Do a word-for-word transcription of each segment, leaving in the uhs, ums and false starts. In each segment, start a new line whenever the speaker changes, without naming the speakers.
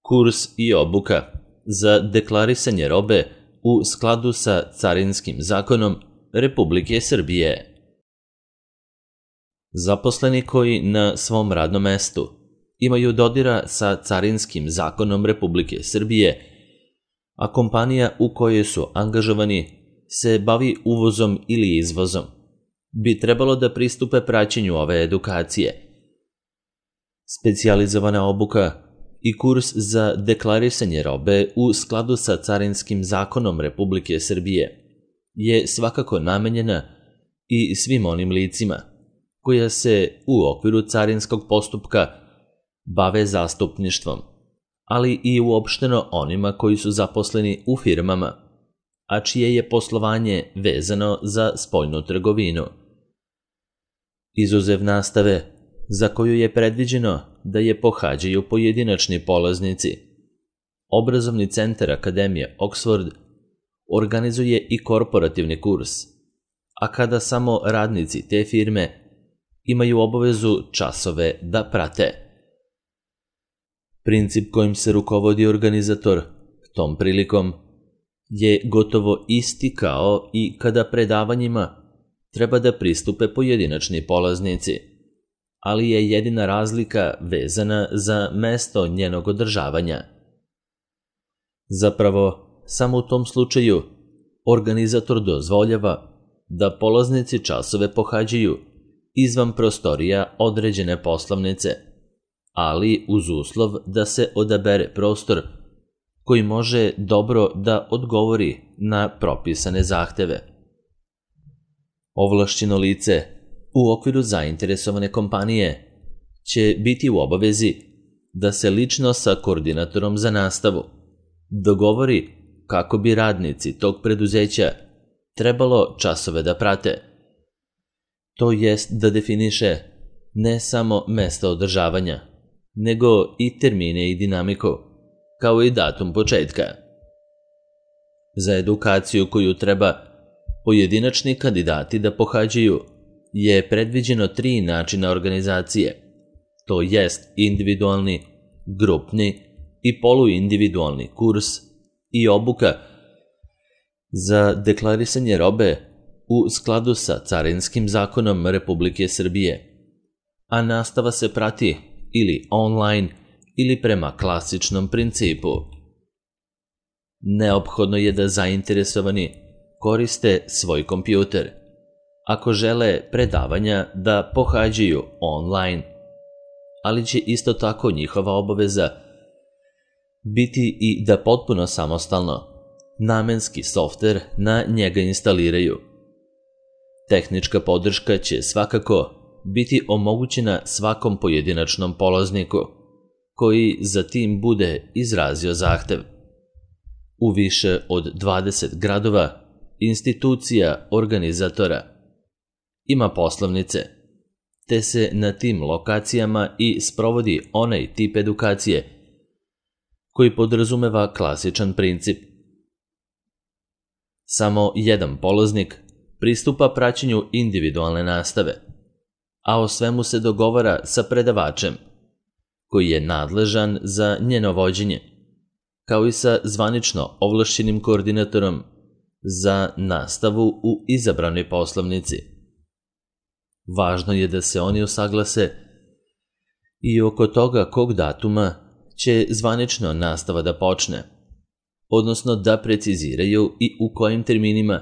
kurs i obuka za deklarisanje robe u skladu sa Carinskim zakonom Republike Srbije. Zaposleni koji na svom radnom mestu imaju dodira sa Carinskim zakonom Republike Srbije, a kompanija u kojoj su angažovani se bavi uvozom ili izvozom, bi trebalo da pristupe praćenju ove edukacije. Specijalizovana obuka i kurs za deklarisanje robe u skladu sa Carinskim zakonom Republike Srbije je svakako namenjena i svim onim licima koja se u okviru carinskog postupka bave zastupništvom, ali i uopšteno onima koji su zaposleni u firmama, a čije je poslovanje vezano za spoljnu trgovinu. Izuzev nastave, za koju je predviđeno da je pohađaju pojedinačni polaznici, Obrazovni centar Akademije Oxford organizuje i korporativni kurs, a kada samo radnici te firme imaju obavezu časove da prate. Princip kojim se rukovodi organizator tom prilikom je gotovo isti kao i kada predavanjima treba da pristupe pojedinačni polaznici, ali je jedina razlika vezana za mesto njenog održavanja. Zapravo, samo u tom slučaju organizator dozvoljava da polaznici časove pohađaju izvan prostorija određene poslovnice, ali uz uslov da se odabere prostor koji može dobro da odgovori na propisane zahteve. Ovlašćeno lice u okviru zainteresovane kompanije će biti u obavezi da se lično sa koordinatorom za nastavu dogovori kako bi radnici tog preduzeća trebalo časove da prate. To jest da definiše ne samo mesta održavanja, nego i termine i dinamiku, kao i datum početka. Za edukaciju koju treba pojedinačni kandidati da pohađaju je predviđeno tri načina organizacije, to jest individualni, grupni i poluindividualni kurs i obuka za deklarisanje robe u skladu sa Carinskim zakonom Republike Srbije, a nastava se prati ili online ili prema klasičnom principu. Neophodno je da zainteresovani koriste svoj kompjuter ako žele predavanja da pohađaju online, ali će isto tako njihova obaveza biti i da potpuno samostalno namenski softver na njega instaliraju. Tehnička podrška će svakako biti omogućena svakom pojedinačnom polazniku koji za tim bude izrazio zahtev. U više od dvadeset gradova institucija organizatora ima poslovnice, te se na tim lokacijama i sprovodi onaj tip edukacije koji podrazumeva klasičan princip. Samo jedan polaznik pristupa praćenju individualne nastave, a o svemu se dogovara sa predavačem, koji je nadležan za njeno vođenje, kao i sa zvanično ovlašćenim koordinatorom za nastavu u izabranoj poslovnici. Važno je da se oni usaglase i oko toga kog datuma će zvanično nastava da počne, odnosno da preciziraju i u kojim terminima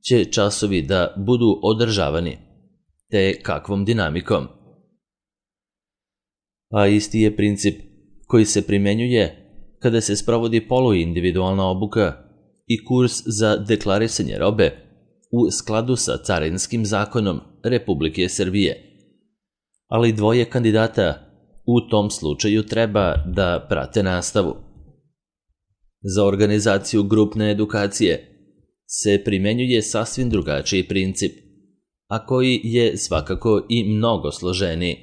će časovi da budu održavani, te kakvom dinamikom. A isti je princip koji se primenjuje kada se sprovodi poluindividualna obuka i kurs za deklarisanje robe u skladu sa Carinskim zakonom Republike Srbije, ali dvoje kandidata u tom slučaju treba da prate nastavu. Za organizaciju grupne edukacije se primenjuje sasvim drugačiji princip, a koji je svakako i mnogo složeniji.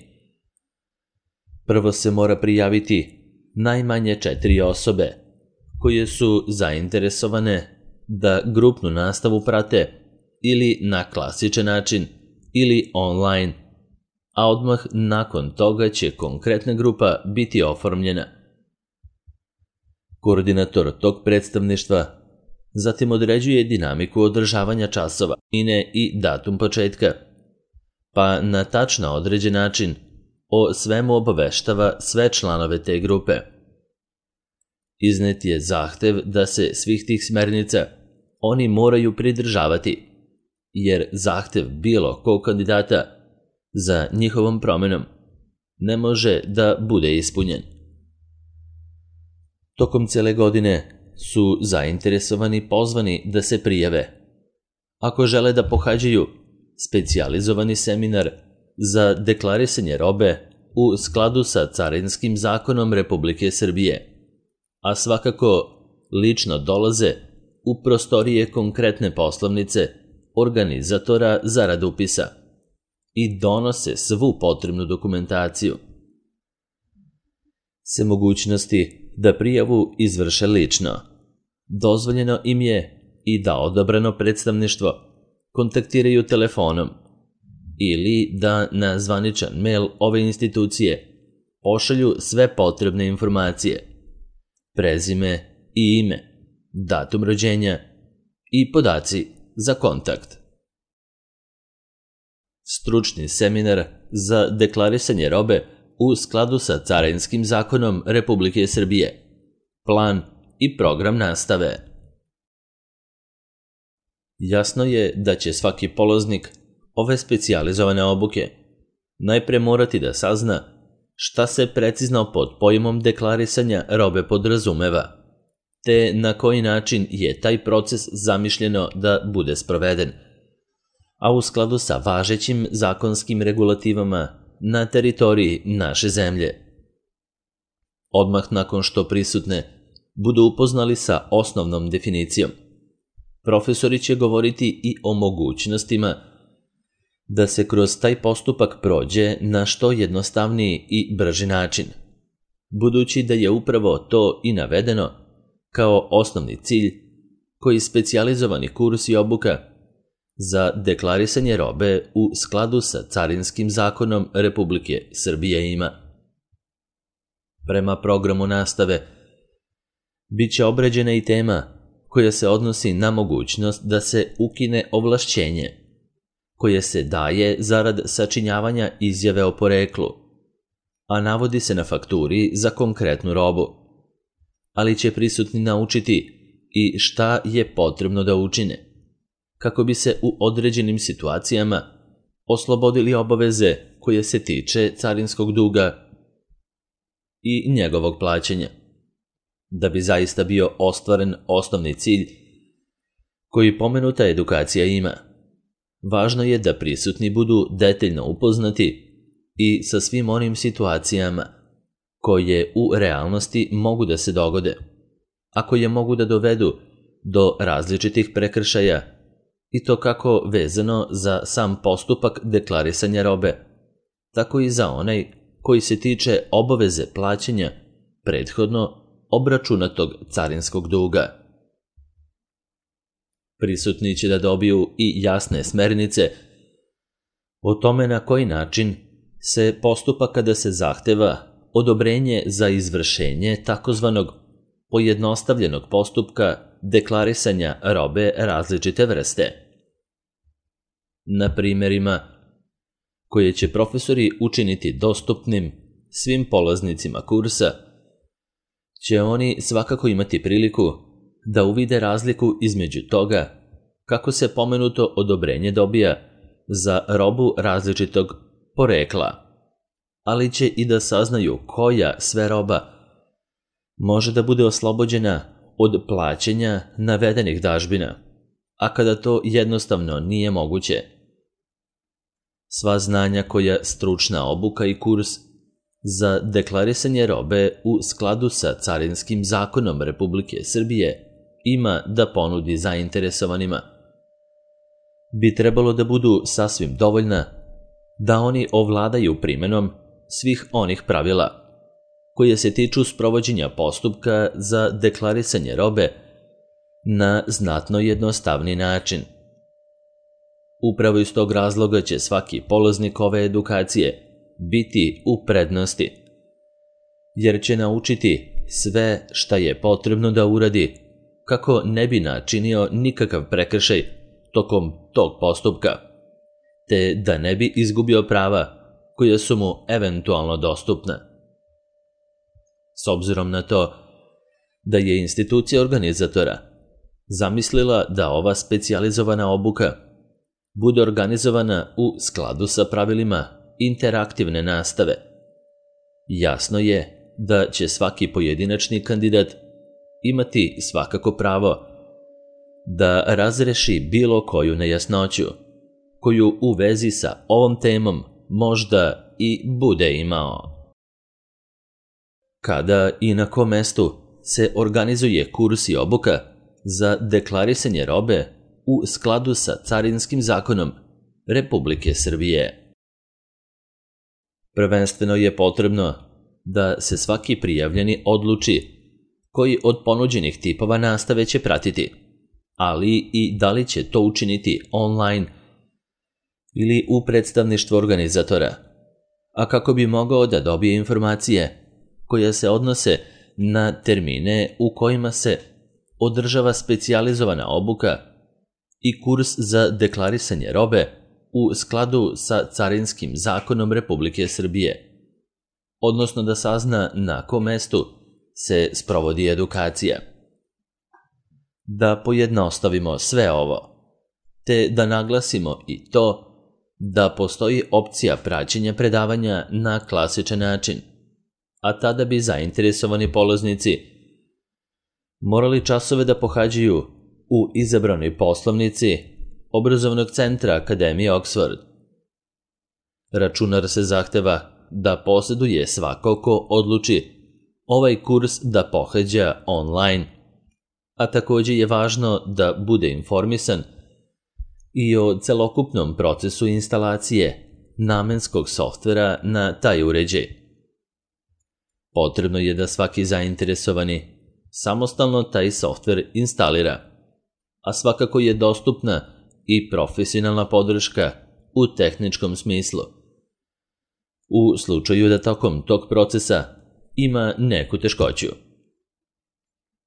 Prvo se mora prijaviti najmanje četiri osobe koje su zainteresovane da grupnu nastavu prate ili na klasičan način ili online, a odmah nakon toga će konkretna grupa biti oformljena. Koordinator tog predstavništva zatim određuje dinamiku održavanja časova, ine i datum početka, pa na tačno određen način o svemu obaveštava sve članove te grupe. Iznet je zahtev da se svih tih smernica oni moraju pridržavati, jer zahtev bilo kog kandidata za njihovom promenom ne može da bude ispunjen. Tokom cele godine su zainteresovani pozvani da se prijave. Ako žele da pohađaju specijalizovani seminar za deklarisanje robe u skladu sa Carinskim zakonom Republike Srbije, a svakako lično dolaze u prostorije konkretne poslovnice organizatora zarad upisa i donose svu potrebnu dokumentaciju, se mogućnosti da prijavu izvrše lično. Dozvoljeno im je i da odabrano predstavništvo kontaktiraju telefonom ili da na zvaničan mail ove institucije pošalju sve potrebne informacije, prezime i ime, datum rođenja i podaci za kontakt. Stručni seminar za deklarisanje robe u skladu sa Carinskim zakonom Republike Srbije, plan i program nastave. Jasno je da će svaki polaznik ove specijalizovane obuke najpre morati da sazna šta se precizno pod pojmom deklarisanja robe podrazumeva, te na koji način je taj proces zamišljeno da bude sproveden, a u skladu sa važećim zakonskim regulativama na teritoriji naše zemlje. Odmah nakon što prisutne budu upoznali sa osnovnom definicijom, profesori će govoriti i o mogućnostima da se kroz taj postupak prođe na što jednostavniji i brži način, budući da je upravo to i navedeno kao osnovni cilj koji specijalizovani kurs i obuka za deklarisanje robe u skladu sa Carinskim zakonom Republike Srbije ima. Prema programu nastave biće obrađena i tema koja se odnosi na mogućnost da se ukine ovlašćenje koje se daje zarad sačinjavanja izjave o poreklu, a navodi se na fakturi za konkretnu robu, ali će prisutni naučiti i šta je potrebno da učine kako bi se u određenim situacijama oslobodili obaveze koje se tiče carinskog duga i njegovog plaćanja, da bi zaista bio ostvaren osnovni cilj koji pomenuta edukacija ima. Važno je da prisutni budu detaljno upoznati i sa svim onim situacijama koje u realnosti mogu da se dogode, a koje mogu da dovedu do različitih prekršaja, i to kako vezano za sam postupak deklarisanja robe, tako i za onaj koji se tiče obaveze plaćanja prethodno obračunatog carinskog duga. Prisutni će da dobiju i jasne smernice o tome na koji način se postupa kada se zahteva odobrenje za izvršenje takozvanog pojednostavljenog postupka deklarisanja robe različite vrste. Na primjerima koje će profesori učiniti dostupnim svim polaznicima kursa, će oni svakako imati priliku da uvide razliku između toga kako se pomenuto odobrenje dobija za robu različitog porekla, ali će i da saznaju koja sve roba može da bude oslobođena od plaćanja navedenih dažbina, a kada to jednostavno nije moguće. Sva znanja koja stručna obuka i kurs za deklarisanje robe u skladu sa Carinskim zakonom Republike Srbije ima da ponudi zainteresovanima, bi trebalo da budu sasvim dovoljna da oni ovladaju primenom svih onih pravila koje se tiču sprovođenja postupka za deklarisanje robe na znatno jednostavni način. Upravo iz tog razloga će svaki polaznik ove edukacije biti u prednosti, jer će naučiti sve šta je potrebno da uradi kako ne bi načinio nikakav prekršaj tokom tog postupka, te da ne bi izgubio prava koja su mu eventualno dostupna. S obzirom na to da je institucija organizatora zamislila da ova specijalizovana obuka bude organizovana u skladu sa pravilima interaktivne nastave, jasno je da će svaki pojedinačni kandidat imati svakako pravo da razreši bilo koju nejasnoću koju u vezi sa ovom temom možda i bude imao. Kada i na kom mestu se organizuje kurs i obuka za deklarisanje robe u skladu sa Carinskim zakonom Republike Srbije? Prvenstveno je potrebno da se svaki prijavljeni odluči koji od ponuđenih tipova nastave će pratiti, ali i da li će to učiniti online ili u predstavništvu organizatora, a kako bi mogao da dobije informacije koje se odnose na termine u kojima se održava specijalizovana obuka i kurs za deklarisanje robe u skladu sa Carinskim zakonom Republike Srbije, odnosno da sazna na kom mestu se sprovodi edukacija. Da pojednostavimo sve ovo, te da naglasimo i to da postoji opcija praćenja predavanja na klasičan način, a tada bi zainteresovani polaznici morali časove da pohađaju u izabranoj poslovnici obrazovnog centra Akademije Oxford. Računar se zahteva da posjeduje svako ko odluči ovaj kurs da pohađa online, a također je važno da bude informisan i o celokupnom procesu instalacije namenskog softvera na taj uređaj. Potrebno je da svaki zainteresovani samostalno taj softver instalira, a svakako je dostupna i profesionalna podrška u tehničkom smislu. U slučaju da tokom tog procesa ima neku teškoću.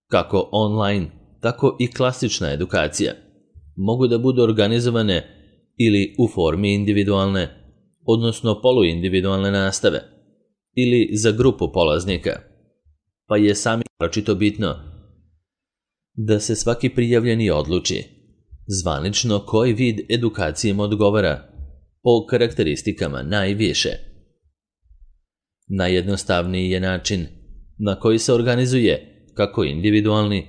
Kako online, tako i klasična edukacija mogu da budu organizovane ili u formi individualne, odnosno poluindividualne nastave, ili za grupu polaznika, pa je sami naročito bitno da se svaki prijavljeni odluči zvanično koji vid edukacije mu odgovara po karakteristikama najviše. Najjednostavniji je način na koji se organizuje kako individualni,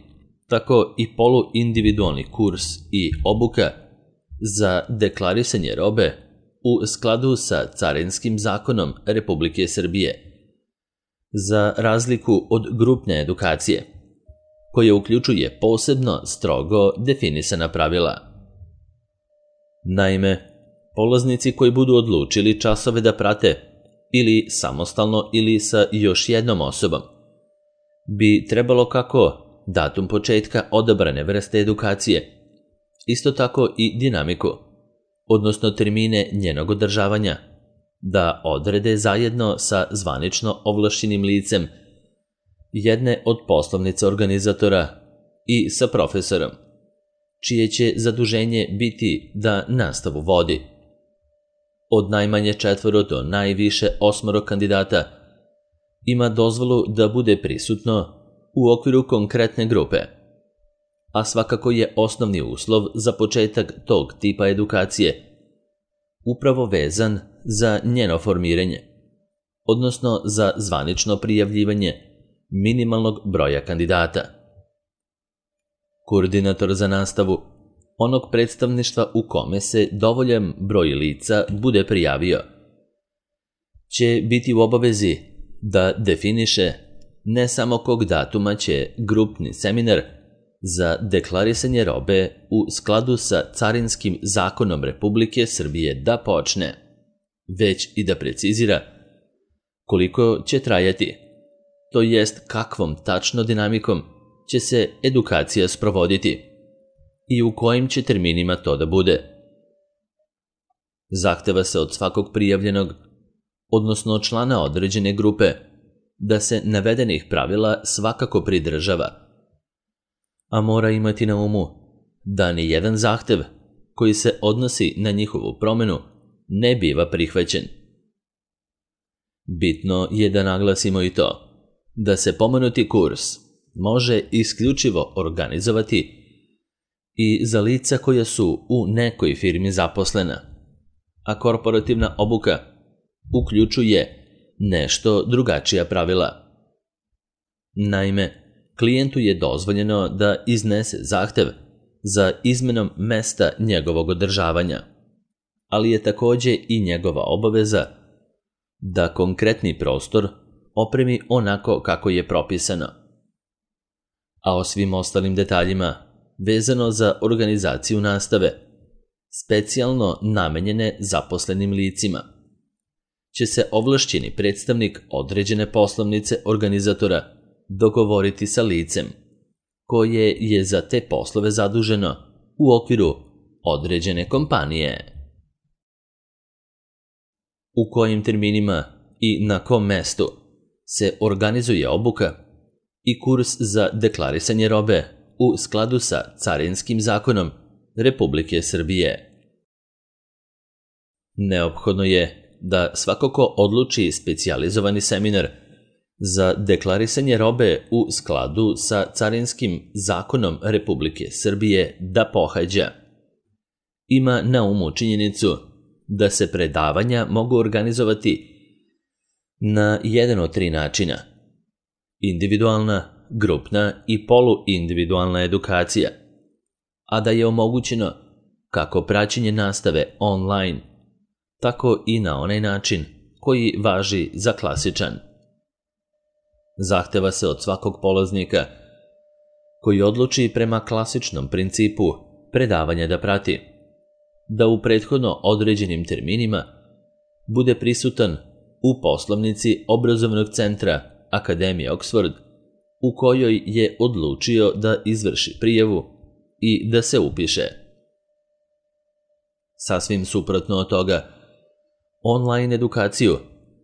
tako i poluindividualni kurs i obuka za deklarisanje robe u skladu sa Carinskim zakonom Republike Srbije, za razliku od grupne edukacije, koja uključuje posebno strogo definisana pravila. Naime, polaznici koji budu odlučili časove da prate ili samostalno ili sa još jednom osobom, bi trebalo kako datum početka odabrane vrste edukacije, isto tako i dinamiku, odnosno termine njenog održavanja, da odrede zajedno sa zvanično ovlašćenim licem jedne od poslovnica organizatora i sa profesorom, čije će zaduženje biti da nastavu vodi. Od najmanje četvoro do najviše osmoro kandidata ima dozvolu da bude prisutno u okviru konkretne grupe, a svakako je osnovni uslov za početak tog tipa edukacije upravo vezan za njeno formiranje, odnosno za zvanično prijavljivanje minimalnog broja kandidata. Koordinator za nastavu onog predstavništva u kome se dovoljan broj lica bude prijavio će biti u obavezi da definiše ne samo kog datuma će grupni seminar za deklarisanje robe u skladu sa Carinskim zakonom Republike Srbije da počne, već i da precizira koliko će trajati, to jest kakvom tačno dinamikom će se edukacija sprovoditi i u kojim će terminima to da bude. Zahteva se od svakog prijavljenog, odnosno člana određene grupe, da se navedenih pravila svakako pridržava, a mora imati na umu da ni jedan zahtev koji se odnosi na njihovu promenu ne biva prihvaćen. Bitno je da naglasimo i to da se pomenuti kurs može isključivo organizovati i za lica koja su u nekoj firmi zaposlena, a korporativna obuka uključuje nešto drugačija pravila. Naime, klijentu je dozvoljeno da iznese zahtev za izmenom mesta njegovog održavanja, ali je takođe i njegova obaveza da konkretni prostor opremi onako kako je propisano. A o svim ostalim detaljima vezano za organizaciju nastave, specijalno namenjene zaposlenim licima, će se ovlašćeni predstavnik određene poslovnice organizatora dogovoriti sa licem koje je za te poslove zaduženo u okviru određene kompanije. U kojim terminima i na kom mestu se organizuje obuka i kurs za deklarisanje robe u skladu sa Carinskim zakonom Republike Srbije. Neophodno je da svako ko odluči specijalizovani seminar za deklarisanje robe u skladu sa Carinskim zakonom Republike Srbije da pohađa, ima na umu činjenicu da se predavanja mogu organizovati na jedan od tri načina: individualna, grupna i poluindividualna edukacija, a da je omogućeno kako praćenje nastave online, tako i na onaj način koji važi za klasičan. Zahteva se od svakog polaznika koji odluči prema klasičnom principu predavanja da prati, da u prethodno određenim terminima bude prisutan u poslovnici obrazovnog centra Akademije Oxford u kojoj je odlučio da izvrši prijavu i da se upiše. Sasvim suprotno od toga, online edukaciju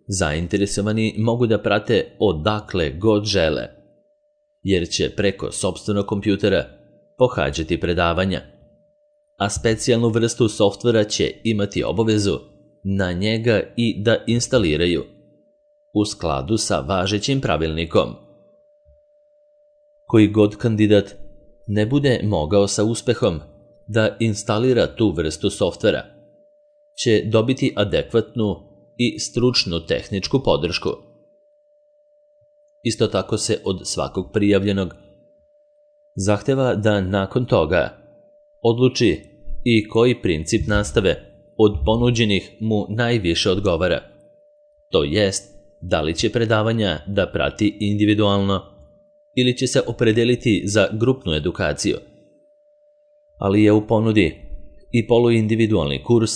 zainteresovani mogu da prate odakle god žele, jer će preko sopstvenog kompjutera pohađati predavanja, a specijalnu vrstu softvera će imati obavezu na njega i da instaliraju u skladu sa važećim pravilnikom. Koji god kandidat ne bude mogao sa uspehom da instalira tu vrstu softvera, će dobiti adekvatnu i stručnu tehničku podršku. Isto tako se od svakog prijavljenog zahteva da nakon toga odluči i koji princip nastave od ponuđenih mu najviše odgovara, to jest da li će predavanja da prati individualno ili će se opredeliti za grupnu edukaciju, ali je u ponudi i poluindividualni kurs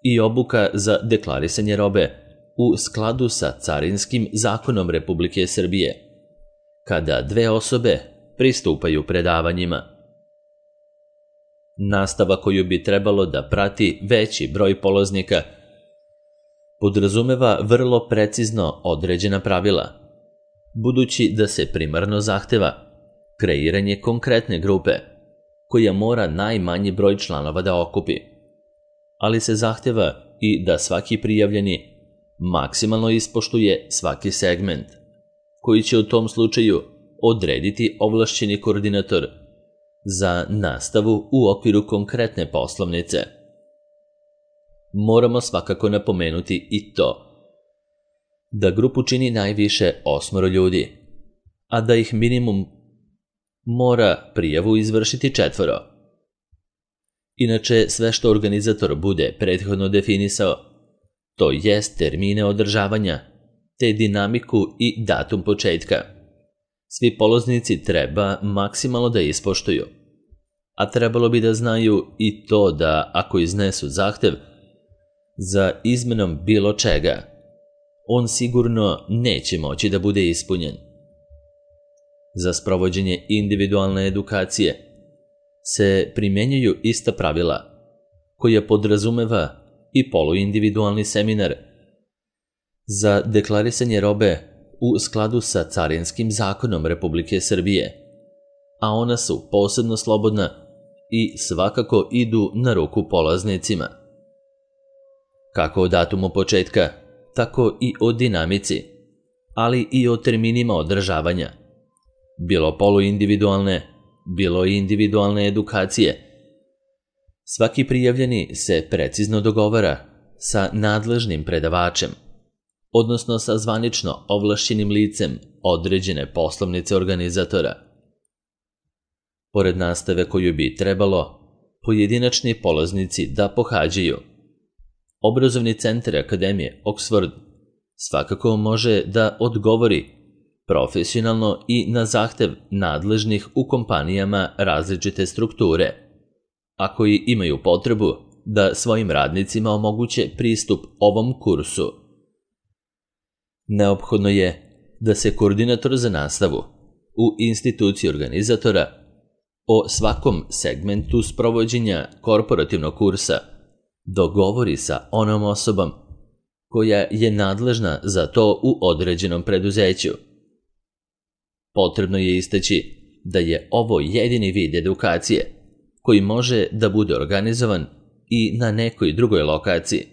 i obuka za deklarisanje robe u skladu sa Carinskim zakonom Republike Srbije, kada dve osobe pristupaju predavanjima. Nastava koju bi trebalo da prati veći broj polaznika podrazumeva vrlo precizno određena pravila, budući da se primarno zahteva kreiranje konkretne grupe koja mora najmanji broj članova da okupi, ali se zahteva i da svaki prijavljeni maksimalno ispoštuje svaki segment, koji će u tom slučaju odrediti ovlašćeni koordinator za nastavu u okviru konkretne poslovnice. Moramo svakako napomenuti i to da grupu čini najviše osmoro ljudi, a da ih minimum mora prijavu izvršiti četvoro. Inače, sve što organizator bude prethodno definisao, to jest termine održavanja, te dinamiku i datum početka, svi polaznici treba maksimalno da ispoštuju, a trebalo bi da znaju i to da ako iznesu zahtev za izmenom bilo čega, on sigurno neće moći da bude ispunjen. Za sprovođenje individualne edukacije se primjenjuju ista pravila koja podrazumeva i poluindividualni seminar za deklarisanje robe u skladu sa Carinskim zakonom Republike Srbije, a ona su posebno slobodna i svakako idu na ruku polaznicima. Kako o datumu početka, tako i o dinamici, ali i o terminima održavanja, bilo poluindividualne, bilo i individualne edukacije. Svaki prijavljeni se precizno dogovara sa nadležnim predavačem, odnosno sa zvanično ovlašćenim licem određene poslovnice organizatora. Pored nastave koju bi trebalo pojedinačni polaznici da pohađaju, Obrazovni centar Akademije Oxford svakako može da odgovori profesionalno i na zahtev nadležnih u kompanijama različite strukture, a koji imaju potrebu da svojim radnicima omoguće pristup ovom kursu. Neophodno je da se koordinator za nastavu u instituciji organizatora o svakom segmentu sprovođenja korporativnog kursa dogovori sa onom osobom koja je nadležna za to u određenom preduzeću. Potrebno je istaći da je ovo jedini vid edukacije koji može da bude organizovan i na nekoj drugoj lokaciji,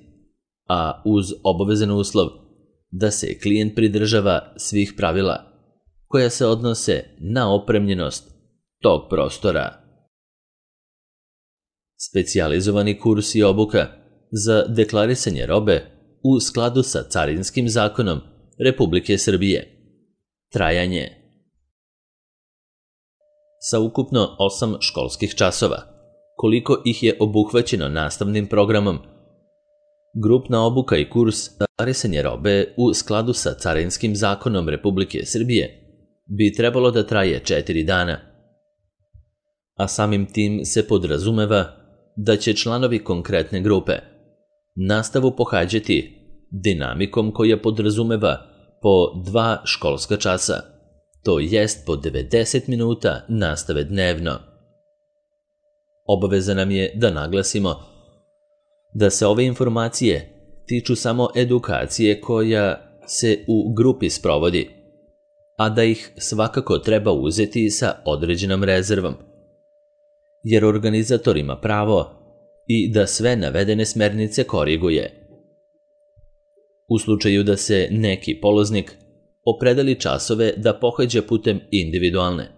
a uz obavezan uslov da se klijent pridržava svih pravila koja se odnose na opremljenost tog prostora. Specijalizovani kurs i obuka za deklarisanje robe u skladu sa Carinskim zakonom Republike Srbije. Trajanje sa ukupno osam školskih časova, koliko ih je obuhvaćeno nastavnim programom. Grupna obuka i kurs deklarisanje robe u skladu sa Carinskim zakonom Republike Srbije bi trebalo da traje četiri dana, a samim tim se podrazumeva da će članovi konkretne grupe nastavu pohađati dinamikom koja podrazumeva po dva školska časa, to jest po devedeset minuta nastave dnevno. Obaveza nam je da naglasimo da se ove informacije tiču samo edukacije koja se u grupi sprovodi, a da ih svakako treba uzeti sa određenom rezervom, jer organizator ima pravo i da sve navedene smernice koriguje. U slučaju da se neki polaznik opredeli časove da pohađa putem individualne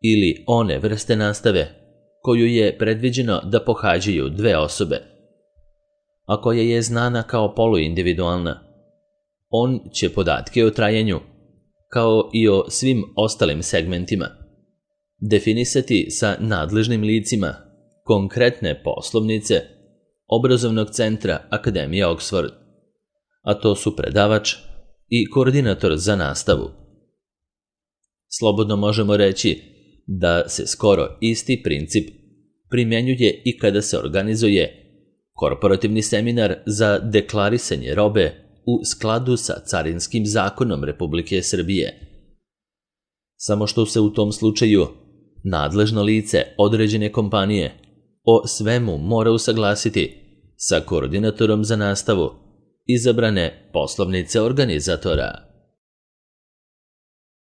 ili one vrste nastave koju je predviđeno da pohađaju dve osobe, a koja je znana kao poluindividualna, on će podatke o trajanju, kao i o svim ostalim segmentima, definisati sa nadležnim licima konkretne poslovnice Obrazovnog centra Akademije Oxford, a to su predavač i koordinator za nastavu. Slobodno možemo reći da se skoro isti princip primjenjuje i kada se organizuje korporativni seminar za deklarisanje robe u skladu sa Carinskim zakonom Republike Srbije. Samo što se u tom slučaju nadležno lice određene kompanije o svemu mora usaglasiti sa koordinatorom za nastavu izabrane poslovnice organizatora.